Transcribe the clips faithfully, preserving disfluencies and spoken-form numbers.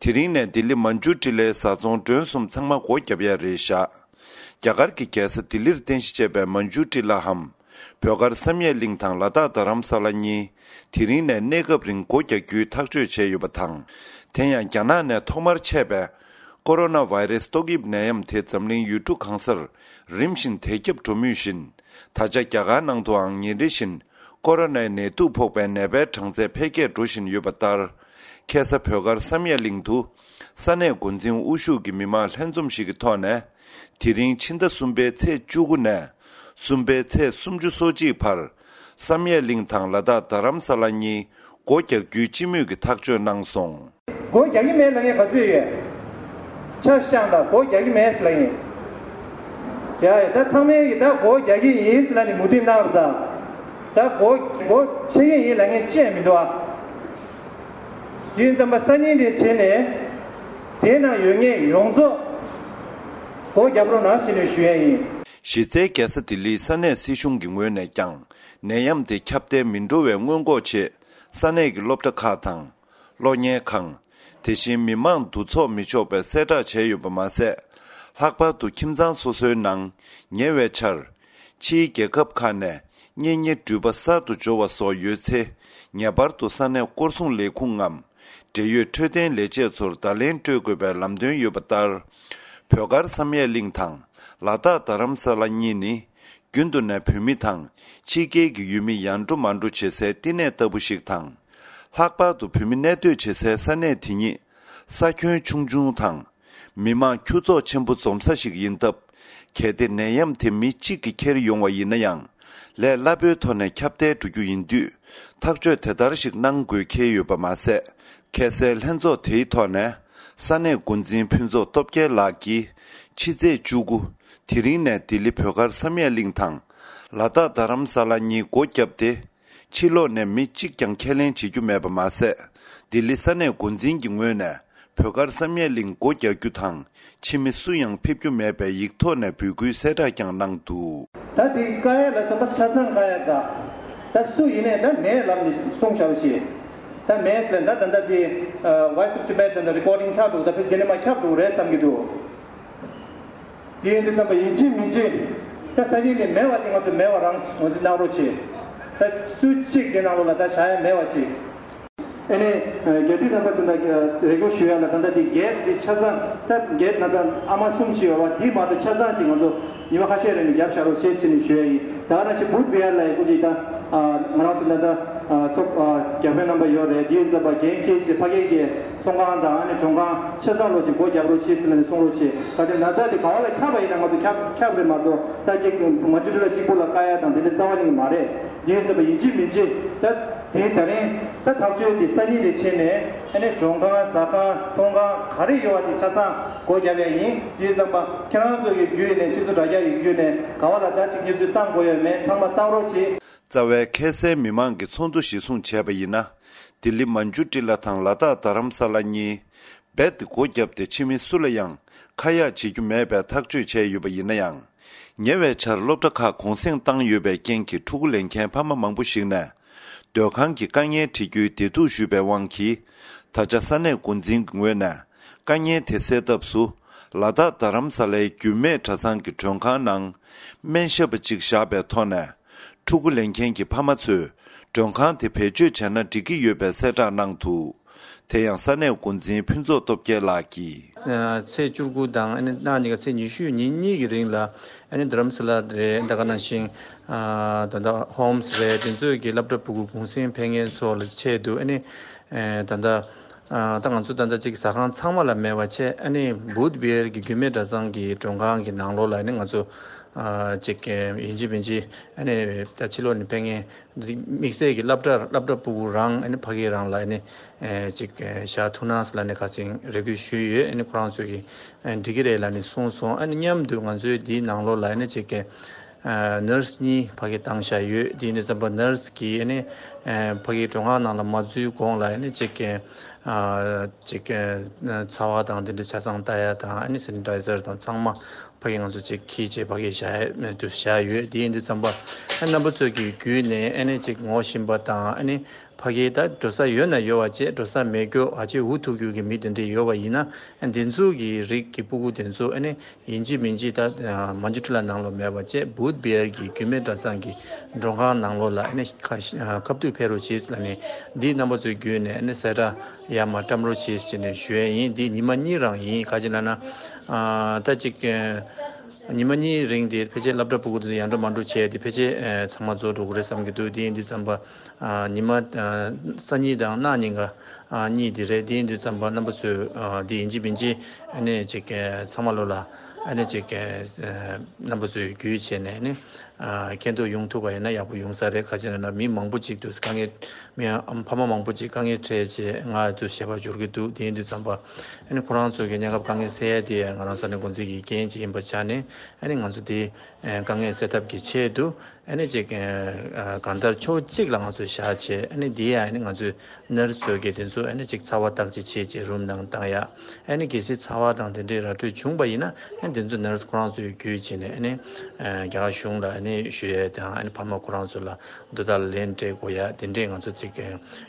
དེ་རིང་ནས་ལྡི་ལི་མན་ཇུ་ཊི་ལའི་བཟའ་ཚང་མགྲོན་གསུམ་ཚང་མ་སྒོ་བརྒྱབ་ཡ་རེད་བཞག་རྒྱ་གར་གྱི་རྒྱལ་ས་ལྡི་ལིར་རྟེན་གཞི་བྱས་པའི་མན་ཇུ་ཊི་ལའམ། བོད་སྒར་བསམ་ཡས་གླིང་དང་ལ་དྭགས་རྡ་རམ་ས་ལ་གཉིས། དེ་རིང་ནས་གནས་སྐབས་རིང་སྒོ་རྒྱག་རྒྱུའི་ཐག་གཅོད་བྱས་ཡོད་པ་དང་། དེ་ཡང་རྒྱ་ནག་ནས་ཐོག་མར་མཆེད་པའི་ཀོ་རོ་ན་བྷའི་རེས་ཏོག་དབྱིབས་ནད་ཡམས་དེ་འཛམ་གླིང་ཡུལ་གྲུ་གང་སར་རིམ་བཞིན་དར་ཁྱབ་འགྲོ་མུས་བཞིན། ད་ཆ་རྒྱ་གར་ནང་དུའང་ཉིན་རེ་བཞིན་ཀོ་རོ་ནའི་ནད་དུག་ཕོག་པའི་ནད་པའི་གྲངས་ཚད་འཕེལ་རྒྱས་འགྲོ་བཞིན་ཡོད་པ་ལྟར། ཁ་སང་བོད་སྒར་བསམ་ཡས་གླིང་དུ་ས་གནས་འགོ་འཛིན་དབུ་བཞུགས་ཀྱི་མི་མང་ལྷན་འཛོམས་ཤིག་གི་ཐོག་ནས། དེ་རིང་ཕྱི་ཟླ་གསུམ་པའི་ཚེས་བཅུ་དགུ་ནས་གསུམ་པའི་ཚེས་སུམ་ཅུ་སོ་གཅིག་བར། བསམ་ཡས་གླིང་དང་ལ་དྭགས་རྡ་རམ་ས་ལ་གཉིས་སྒོ་རྒྱག་རྒྱུའི་སྤྱི་མོས་ཀྱི་ཐག་གཅོད་གནང་སོང་། སྒོ་རྒྱག་གི་མེད་ལབ་མཁན་ག་ཚོད་ཡོད། ཆ་བཞག་དང་སྒོ་རྒྱག་གི་མེད་ཟེར་ལབ་མཁན། རྒྱག་ཡོད་ད་ཚང་མས་ཀྱི་ད་སྒོ་རྒྱག་གི་ཡིན་ཟེར་ལབ་ནས་མོས་མཐུན་གནང་རེད་ད། ད་སྒོ་སྒོ་ཕྱེ་གི་ཡིན་ལབ་མཁན་ཅི་ཡང་མི་འདུག་ཨ། དུས་ཙམ་པ་སང་ཉིན་རེ་བྱས་ནས། དེའི་ནང་ཡོད་མཁན་ཡོངས་རྫོགས་སྒོ་རྒྱབ་རོགས་གནང་ཞེས་ནས་ཞུ་ཡ་ཡིན། གཞི་རྩའི་རྒྱལ་ས་ལྡི་ལིའི་ས་གནས་སྲིད་གཞུང་གི་ངོས་ནས་ཀྱང་ནད་ཡམས་དེ་ཁྱབ་གདལ་མི་འགྲོ་བའི་སྔོན་འགོག་ཆེད་ས་གནས་ཀྱི་སློབ་གྲྭ་ཁག་དང་། གློག་བརྙན་ཁང་། དེ་བཞིན་མི་མང་འདུ་ཚོགས་མི་ཆོག་པའི་གསལ་བསྒྲགས་བྱས་ཡོད་པ་མ་ཟད། ལྷག་པར་དུ་ཁྱིམ་ཚང་སོ་སོའི་ནང་ཉེ་བའི་ཆར། ཕྱིའི་རྒྱལ་ཁབ་ཁག་ནས་གཉེན་ཉེ་འགྲུལ་པ་གསར་དུ་འབྱོར་བ་སོགས་ཡོད་ཚེ། ངེས་པར་དུ་ས་གནས་སྐོར་སྲུང་ལས་ཁུངས་ངམ། འབྲེལ་ཡོད་འཕྲོད་བསྟེན་ལས་བྱེད་ཚོར་བརྡ་ལན་སྤྲོད་དགོས་པའི་ལམ་སྟོན་ཡོད་པ་ལྟར། བོད་སྒར་བསམ་ཡས་གླིང་དང་ལ་དྭགས་རྡ་རམ་ས་ལ་གཉིས་ནི། རྒྱུན་དུ་ནས་བོད་མི་དང་ཕྱི་རྒྱལ་གྱི་ཡུལ་མི་ཡར་འགྲོ་མར་འགྲོ་བྱེད་སའི་བསྟི་གནས་ལྟ་བུ་ཞིག་དང་། ལྷག་པར་དུ་བོད་མི་གནས་སྡོད་བྱེད་སའི་ས་གནས་དེ་ཉིད་ས་ཁྱོན་ཆུང་ཆུང་དང་། མི་མང་ཁྱུ་ཚོགས་ཆེན་པོ་འཛོམས་ས་ཞིག་ཡིན་སྟབས། གལ་ཏེ་ནད་ཡམས་དེ་མི་གཅིག་གིས་འཁྱེར་ཡོང་བ་ཡིན་ན་ཡང་། ལས་སླ་པོའི་ཐོག་ནས་ཁྱབ་གདལ་འགྲོ་རྒྱུ་ཡིན་དུས། ཐག་གཅོད་དེ་ལྟར་ཞིག་གནང་དགོས་འཁེལ་ཡོད་པ་མ་ཟད། ཁ་སང་ལྷན་ཚོགས་དེའི་ཐོག་ནས། ས་གནས་འགོ་འཛིན་ཕུན་ཚོགས་སྟོབས་རྒྱལ་ལགས་ཀྱིས། ཕྱི་ཚེས་བཅུ་དགུ། དེ་རིང་ནས་ལྡི་ལི་བོད་སྒར་བསམ་ཡས་གླིང་དང་། ལ་དྭགས་རྡ་རམ་ས་ལ་གཉིས་སྒོ་བརྒྱབ་སྟེ། ཕྱི་ལོགས་ནས་མི་གཅིག་ཀྱང་ཁས་ལེན་བྱེད་རྒྱུ་མེད་པ་མ་ཟད། ལྡི་ལི་ས་གནས་འགོ་འཛིན་གྱི་ངོས་ནས་བོད་སྒར་བསམ་ཡས་གླིང་སྒོ་རྒྱག་རྒྱུ་དང་། ཕྱི་མི་སུ་ཡང་ཕེབས་རྒྱུ་མེད་པའི་ཡིག་ཐོག་ནས་འབོད་སྐུལ་གསལ་བསྒྲགས་ཀྱང་གནང་འདུག་ད་དེ་བཀག་ཡ་ལ་ཙམ་པ་ཆ་ཚང་བཀག་ཡ་དགའ། ད་སུ་ཡིན་ནའི་ད་མེད་ལབ་ནས་གསུངས་བཞག་པ་ཞིག་ད་མེད་ཟེར་ད་ད་ད་དེ་Voice of Tibet ད་ད་རི་ཀོར་ཌིང་ཆགས་འདུག་ད་ཕེབས་རྗེས་ནས་མ་ཁྱབ་འགྲོ་གི་རེད་བསམ་གྱི་འདུག་དེ་ཡིན་དུས་ཙམ་པ་ཡིན་གཅིག་མིན་གཅིག་ད་ས་གནས་ནས་མེད་པ་དེ་ང་ཚོ་མེད་པ་རང་ངོས་འཛིན་གནང་རོགས་བྱེད། ད་སུ་གཅིག་དེ་ནང་ལོགས་ལ་ད་བཞག་ཡ་མེད་པ་ཅིག་ཨ་ནི་རྒྱ་དུས་རྣམ་པ་ཚོ་ད་རེ་སྐུལ་ཞུ་ཡ་ལ་ད་ལྟ་དེ་གེབ་དེ་ཆ་ཚང་ད་གེབ་ན་ད་ཨ་མ་གསུམ་ཞིག་ཡོད་པ་དེ་མ་གཏོགས་ཆ་ཚང་ཅིག་ང་ཚོ་ཉི་མ་ཁ་ཤས་རིང་ནས་བརྒྱབ་བཞག་རོགས་ཞེས་ཟེར་ནས་ཞུ་ཡ་ཡིན། ད་ག་ནང་བཞིན་བུད་བི་ཡར་ལ་ཡི་སྐུ་མཁྱེན་ད་ང་རང་ཚོ་ད་ད་ཚོགས་རྒྱ་དཔོན་རྣམ་པ་ཡོད་རེད། དེ་ཡིན་ཙམ་པ་འགན་འཁྱེར་ཅིག་ཕ་གི་གི་ཚོང་ཁང་དང་ཨ་ནི་གྲོང་ཁང་ཆ་ཚང་ལོ་ཅིག་སྒོ་རྒྱབ་རོགས་བྱེད་ཟེར་ནས་གསུང་རོགས་བྱེད། ད་ཆ་ན་ཚ་དེ་ག་བ་ལ་ཁྱབ་པ་ཡིན་ན་ང་ཚོ་ཁྱབ་ཁྱབ་རེད་མ་གཏོགས་ད་ཅིག་མ་འཇུ་ལ་གཅིག་པུ་ལ་བཀག་ཡ་དང་དེ་འདྲ་རྩ་བ་ནས་མ་རེད། དེ་ཡིན་ཙམ་པ་ཡིན་གཅིག་མིན་གཅིག་ད་དེ་ད་རིང་ད་ཐག་གཅོད་དེ་སང་ཉིན་ལས་བྱས་ནས་ཨ་ནི་གྲོང་ཁང་ཟ་ཁང་ཚོང་ཁང་ག་རེ་ཡོད་པ་དེ་ཆ་ཚང་སྒོ་རྒྱབ་ཡ་ཡིན། དེ་ཡིན་ཙམ་པ་ཁྱེད་རང་ཚོ་གི་བརྒྱུད་ནས་སྤྱི་ཚོགས་དྲ་རྒྱ་ཡི་བརྒྱུད་ནས་ག་བ་ལ་ད་ཅིག་བརྙས་བཅོས་བཏང་དགོས་ཡོད་མེད་ཚང་མ་བཏང་རོགས་བྱེད། རྩ་བའི་ཁ་སང་མི་མང་གི་ཚོགས་འདུ་གཞིར་བཟུང་བྱས་པ་ཡིན་ན། ལྡི་ལི་མན་ཇུ་ཊི་ལ་དང་ལ་དྭགས་རྡ་རམ་ས་ལ་གཉིས། རྦད་དེ་སྒོ་བརྒྱབ་སྟེ་ཕྱི་མི་སུ་ལ་ཡང་ཁ་ཡག་བྱེད་རྒྱུ་མེད་པའི་ཐག་གཅོད་བྱས་ཡོད་པ་ཡིན་ན་ཡང་། ཉེ་བའི་ཆར་སློབ་གྲྭ་ཁག་གུང་སེང་བཏང་ཡོད་པའི་རྐྱེན་གྱིས་ཕྲུ་གུ་ལེན་མཁན་ཕ་མ་མང་པོ་ཞིག་ནས། སྡོད་ཁང་གི་དཀའ་ངལ་འཕྲད་རྒྱུའི་བདེ་སྡུག་ཞུས་པའི་དབང་གིས། ད་ཆ་ས་གནས་འགོ་འཛིན་གྱི་ངོས་ནས་དཀའ་ངལ་དེ་སེལ་ཐབས་སུ། ལ་དྭགས་རྡ་རམ་ས་ལའི་རྒྱུད་སྨད་གྲྭ་ཚང་གི་མགྲོན་ཁང་ནང་སྨན་ཞབས་པ་གཅིག་བཞག་པའི་ཐོག་ནས། ཕྲུ་གུ་ལེན་མཁན་གྱི་ཕ་མ་ཚོས་མགྲོན་ཁང་དེ་བེད་སྤྱོད་བྱས་ན་འགྲིག་གི་ཡོད་པའི་གསལ་བསྒྲགས་གནང་འདུག་དེ་ཡང་ས་གནས་འགོ་འཛིན་ཕུན་ཚོགས་སྟོབས་རྒྱལ་ལགས་ཀྱིས། ཚེས་བཅུ་དགུ་དང་ཨ་ནི་གནངས་ཉིན་ཀ་ཚེས་ཉི་ཤུ་ཉིན་གཉིས་ཀྱི་རིང་ལ་ཨ་ནི་རྡ་རམ་ས་ལ་རེད། ད་ག་ནང་བཞིན་ད་ལྟ་ཧོམ་སི་རེད། དེ་ཚོའི་གི་སློབ་གྲྭ་ཕྲུ་གུ་གུང་སེང་ཕེབས་མཁན་ཚོ་ལ་ཆེད་དུ་ཨ་ནི་ད་ལྟ་ད་ང་ཚོ་ད་ལྟ་ཅིག་ཟ་ཁང་ཚང་མ་ལ་མེད་པ་བྱས། ཨ་ནི་བུད་བི་ཧར་གྱི་རྒྱུད་སྨད་གྲྭ་ཚང་གི་མགྲོན་ཁང་གི་ནང་ལོགས་ལ་ཨ་ནི་ང་ཚོ་ཅིག་ཡིན་གཅིག་མིན་གཅིག་ཨ་ནི་ད་ཕྱི་ལོགས་ནས་ཕེབས་མཁན། དམིགས་བསལ་གྱི་སློབ་གྲྭ་སློབ་གྲྭ་ཕྲུ་གུ་རང་ཨ་ནི་ཕ་གི་རང་ལ་ཨ་ནི་ཅིག་བཞག་ཐུབ་ན་ཟེར་ལབ་ནས་ཁ་སང་རེ་སྐུལ་ཞུས་ཡོད། ཨ་ནི་ཁོ་རང་ཚོས་ཀྱི་འགྲིག་གི་རེད་ལབ་ནས་གསུངས་སོང་། ཨ་ནི་མཉམ་དུ་ང་ཚོའི་འདིའི་ནང་ལོགས་ལ་ཨ་ནི་ཅིག་ནར་སི་གཉིས་ཕ་གི་བཏང་བཞག་ཡོད། དེ་ཡིན་དུས་ཙམ་པ་ནར་སི་གིས་ཨ་ནི་ཕ་གི་མགྲོན་ཁང་ནང་ལ་མ་འཛུལ་གོང་ལ་ཨ་ནི་ཅིག་ཅིག་ཚ་བ་དང་དེ་འདྲ་ཆ་ཚང་ལྟ་ཡ་དང་ཨ་ནི་སེ་ནི་ཊའི་ཛར་དང་ཚང་མ། ཕ་གི་ང་ཚོ་ཅིག་འཁྱེར་བྱས་ཕ་གི་བཞག་དུ་བཞག་ཡོད། དེ་ཡིན་དུས་ཙམ་པ་ཨ་རྣམ་པ་ཚོས་ཀྱི་བརྒྱུད་ནས་ཨ་ནི་ཅིག་ངོ་ཤེས་པ་དང་ཨ་ནི་ ཕ་གི་ད་འགྲོ་ས་ཡོད་ན་ཡོད་པ་བྱས། འགྲོ་ས་མེད་རྒྱུ་ཨ་ཅེ་འུ་ཐུག་རྒྱུ་གི་མི་དེ་འདྲས་ཡོད་པ་ཡིན་ན། ཨ་འདི་ཚོ་གི་རིགས་ཀྱི་སྤུ་གུ་དེ་ཚོ་ཨ་ནི་ཡིན་གཅིག་མིན་གཅིག་ད་མ་ཇུ་ཊི་ལ་ནང་ལོགས་མེད་པ་བྱས། བུད་བི་ཧར་གྱི་རྒྱུད་སྨད་གྲྭ་ཚང་གི་མགྲོན་ཁང་ནང་ལོགས་ལ་ཨ་ནི་ཁ་ཤ་ཁ་ཐུག་ཕེབས་རོགས་བྱེད་ལབ་ནས། འདི་རྣམ་པ་ཚོའི་བརྒྱུད་ནས་ཨ་ནི་གསལ་བསྒྲགས་ཡར་མར་བཀྲམ་རོགས་བྱེད་ཟེར་ནས་ཞུ་ཡས་ཡིན། འདི་ཉི་མ་གཉིས་རང་ཡིན། ག་ཅི་ལབ་ན་ཨ་ད་ཅིག་ཉི་མ་གཉིས་རིང་དེ་ཕལ་ཆེར་སློབ་གྲྭ་སྤུ་གུ་དེ་ཚོ་ཡར་འགྲོ་མར་འགྲོ་བྱས་ཏེ་ཕལ་ཆེར་ཚང་མ་རྫོགས་འགྲོ་གི་རེད་བསམ་གྱི་འདུག་དེ་ཡིན་དུས་ཙམ་པ་ཨ་ཉི་མ་ཨ་སང་ཉིན་དང་གནངས་ཉིན་ཀ་ཨ་གཉིས་དེ་རེད། དེ་ཡིན་དུས་ཙམ་པ་རྣམ་པ་ཚོས་ཨ་དེ་ཡིན་གཅིག་མིན་གཅིག་ཨ་ནི་ཅིག་ཚང་མ་ལོ་ལ་ཨ་ནི་ཅིག་རྣམ་པ་ཚོས་བརྒྱུད་བྱས་ནས་ཨ་ནི་ཨ་མཁྱེན་རྟོགས་ཡོང་ཐུབ་པ་ཡིན་ན་ཡག་པོ་ཡོང་ས་རེད། ག་ཅི་ལབ་ན་མི་མང་པོ་ཅིག་འདུག་དཀའ་ངལ། མི་ཨ་ཕ་མ་མང་པོ་ཅིག་དཀའ་ངལ་འཕྲད་བྱས་ང་དུ་ཞེད་པ་འབྱོར་གྱི་འདུག་དེ་ཡིན་དུས་ཙམ་པ་ཨ་ནི་ཁོ་རང་ཚོ་གི་གནས་སྐབས་དཀའ་ངལ་སེལ་ཡ་དེ་ང་རང་ས་གནས་འགོ་འཛིན་གྱི་འགན་ཅིག་ཡིན་པ་ཆགས་ནས། ཨ་ནི་ང་ཚོ་དེ་ཨ་དཀའ་ངལ་སེལ་ཐབས་ཀྱི་ཆེད་དུ་ཨ་ནི་ཅིག་ཨ་གང་ལྟར་ཕྱོགས་གཅིག་ལ་ང་ཚོ་བཞག་བྱས། ཨ་ནི་དེ་ཡང་ཨ་ནི་ང་ཚོའི་ནར་སི་ཚོ་གི་དེ་ཚོ་ཨ་ནི་ཅིག་ཚ་བ་བརྟག་དཔྱད་བྱེད་བྱས་རུམ་ནང་བཏང་ཡ། ཨ་ནི་གལ་སྲིད་ཚ་བ་དང་དེ་འདྲའི་ར་སྤྲོད་བྱུང་པ་ཡིན་ན་ཨ་ནི་དེ་ཚོ་ནར་སི་ཁོ་རང་ཚོས་བརྒྱུད་བྱས་ནས་ཨ་ནི་ཨ་རྒྱ་གར་གཞུང་ལ་ཨ་ནི་ཞུ་ཡ་དང་། ཨ་ནི་ཕ་མ་ཁོ་རང་ཚོ་ལ་དོ་བདག་ལ་ལན་སྤྲད་དགོས་ཡ་དེ་འདྲས་ང་ཚོ་ཅིག་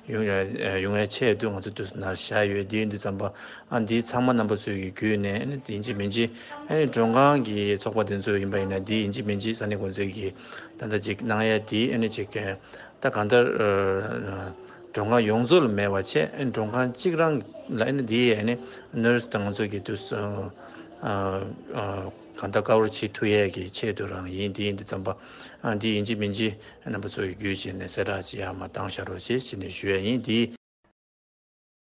ཡོང་ཡ་ཡོང་ཡ་ཆེད་དུ་ང་ཚོ་དུས་སུ་ནར་བཞག་ཡོད། དེ་ཡིན་དུས་ཙམ་པ་ཨ་འདི་ཚང་མ་རྣམ་པ་ཚོའི་གི་བརྒྱུད་ནས་ཨ་ནི་ཡིན་གཅིག་མིན་གཅིག་ཨ་ནི་མགྲོན་ཁང་གི་ཚོགས་པ་དེ་ཚོ་ཡིན་པ་ཡིན་ན་འདི་ཡིན་གཅིག་མིན་གཅིག་ས་གནས་འགོ་འཛིན་གྱི་ད་ལྟ་ཅིག་གནང་ཡ་དེ་ཨ་ནི་ཅིག་ད་གང་ལྟར་མགྲོན་ཁང་ཡོངས་རྫོགས་ལ་མེད་པ་བྱས། ཨ་ནི་མགྲོན་ཁང་གཅིག་རང་ལ་ཨ་ནི་འདི་ཨ་ནི་ནར་སི་དང་ང་ཚོ་གི་དུས་སུ་གང་ལྟར་ཀ་བར་བྱེད་ཐུབ་ཡས་ཀྱི་ཆེད་དུ་རང་ཡིན། དེ་ཡིན་དུས་ཙམ་པ་ཨ་འདི་ཡིན་གཅིག་མིན་གཅིག་རྣམ་པ་ཚོ་ཡི་བརྒྱུད་བྱས་ནས་གསལ་བསྒྲགས་ཅིག་ཡར་མར་བཏང་བཞག་རོགས་བྱེད་ཅེས་ནས་ཞུ་ཡས་ཡིན། དེ་